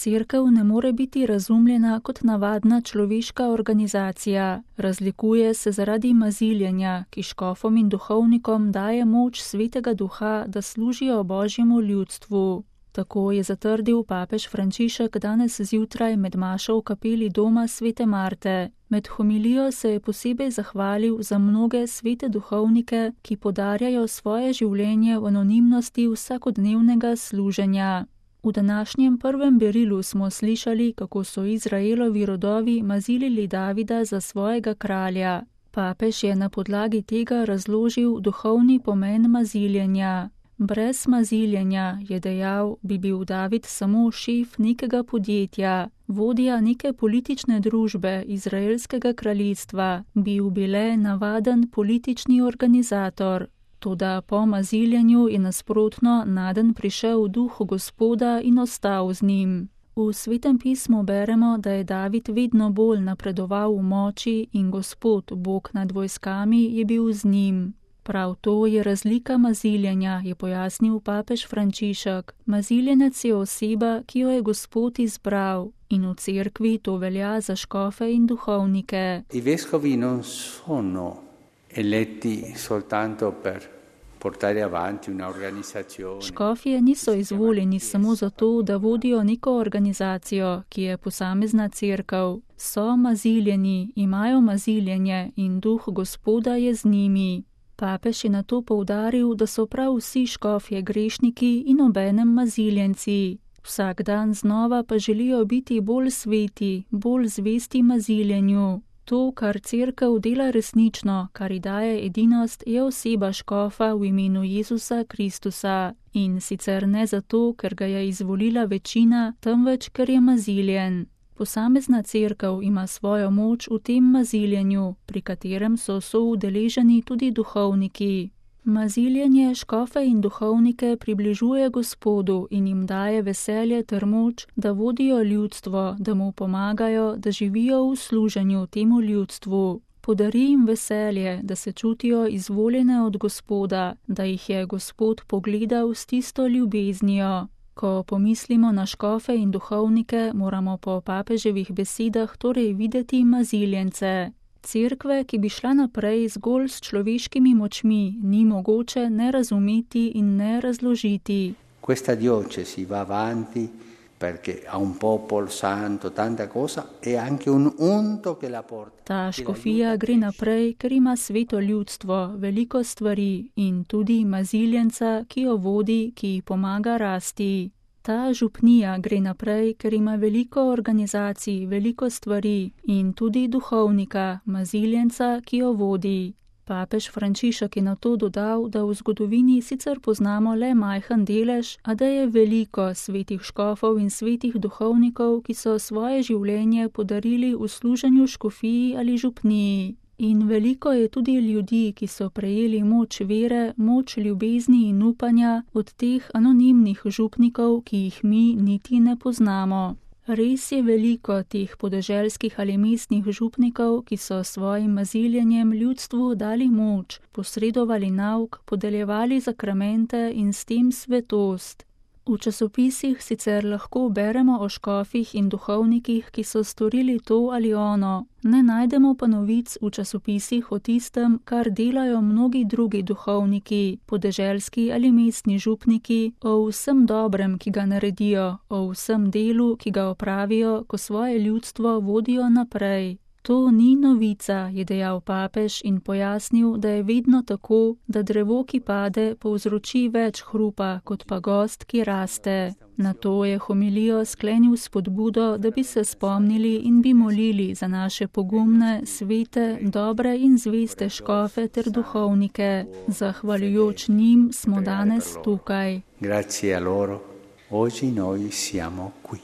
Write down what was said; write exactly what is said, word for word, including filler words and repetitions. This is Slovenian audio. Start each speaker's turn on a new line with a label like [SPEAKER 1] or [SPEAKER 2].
[SPEAKER 1] Cerkev ne more biti razumljena kot navadna človeška organizacija. Razlikuje se zaradi maziljenja, ki škofom in duhovnikom daje moč Svetega Duha, da služijo Božjemu ljudstvu. Tako je zatrdil papež Frančišek danes zjutraj med mašo v kapeli doma svete Marte. Med homilijo se je posebej zahvalil za mnoge svete duhovnike, ki podarjajo svoje življenje v anonimnosti vsakodnevnega služenja. V današnjem prvem berilu smo slišali, kako so Izraelovi rodovi mazilili Davida za svojega kralja. Papež je na podlagi tega razložil duhovni pomen maziljenja. Brez maziljenja, je dejal, bi bil David samo šef nekega podjetja, vodja neke politične družbe izraelskega kraljestva, bil bi le navaden politični organizator. Toda po maziljenju je nasprotno naden prišel duh Gospoda in ostal z njim. V Svetem pismu beremo, da je David vedno bolj napredoval v moči in Gospod, Bog nad vojskami, je bil z njim. Prav to je razlika maziljenja, je pojasnil papež Frančišek. Maziljenec je oseba, ki jo je Gospod izbral, in v cerkvi to velja za škofe in duhovnike.
[SPEAKER 2] I vescovi non sono eletti soltanto per portare avanti un'organizzazione.
[SPEAKER 1] Škofje niso izvoljeni samo zato, da vodijo neko organizacijo, ki je posamezna cerkev. So maziljeni, imajo maziljenje in duh Gospoda je z njimi. Papež je na to poudaril, da so prav vsi škofje grešniki in obenem maziljenci. Vsak dan znova pa želijo biti bolj sveti, bolj zvesti maziljenju. To, kar cerkev dela resnično, kar ji daje edinost, je oseba škofa v imenu Jezusa Kristusa. In sicer ne zato, ker ga je izvolila večina, temveč ker je maziljen. Posamezna cerkev ima svojo moč v tem maziljenju, pri katerem so soudeleženi tudi duhovniki. Maziljenje škofe in duhovnike približuje Gospodu in jim daje veselje ter moč, da vodijo ljudstvo, da mu pomagajo, da živijo v služenju temu ljudstvu. Podari jim veselje, da se čutijo izvoljene od Gospoda, da jih je Gospod pogledal s tisto ljubeznijo. Ko pomislimo na škofe in duhovnike, moramo po papeževih besedah torej videti maziljence. Cerkve, ki bi šla naprej zgolj s človeškimi močmi, ni mogoče ne razumeti in ne razložiti.
[SPEAKER 2] Questa diocesi va avanti perché ha un popolo santo, tanta cosa e anche un unto che la porta.
[SPEAKER 1] Ta škofija gre naprej, ker ima sveto ljudstvo, veliko stvari in tudi maziljenca, ki jo vodi, ki ji pomaga rasti. Ta župnija gre naprej, ker ima veliko organizacij, veliko stvari in tudi duhovnika, maziljenca, ki jo vodi. Papež Frančišek je na to dodal, da v zgodovini sicer poznamo le majhen delež, a da je veliko svetih škofov in svetih duhovnikov, ki so svoje življenje podarili v služenju škofiji ali župniji. In veliko je tudi ljudi, ki so prejeli moč vere, moč ljubezni in upanja od teh anonimnih župnikov, ki jih mi niti ne poznamo. Res je veliko teh podeželskih ali mestnih župnikov, ki so svojim maziljenjem ljudstvu dali moč, posredovali nauk, podeljevali zakramente in s tem svetost. V časopisih sicer lahko beremo o škofih in duhovnikih, ki so storili to ali ono, ne najdemo pa novic v časopisih o tistem, kar delajo mnogi drugi duhovniki, podeželski ali mestni župniki, o vsem dobrem, ki ga naredijo, o vsem delu, ki ga opravijo, ko svoje ljudstvo vodijo naprej. To ni novica, je dejal papež in pojasnil, da je vedno tako, da drevo, ki pade, povzroči več hrupa, kot pa gozd, ki raste. Na to je homilijo sklenil spodbudo, da bi se spomnili in bi molili za naše pogumne, svete, dobre in zveste škofe ter duhovnike. Zahvaljujoč njim smo danes tukaj.
[SPEAKER 2] Grazie a loro, oggi noi siamo qui.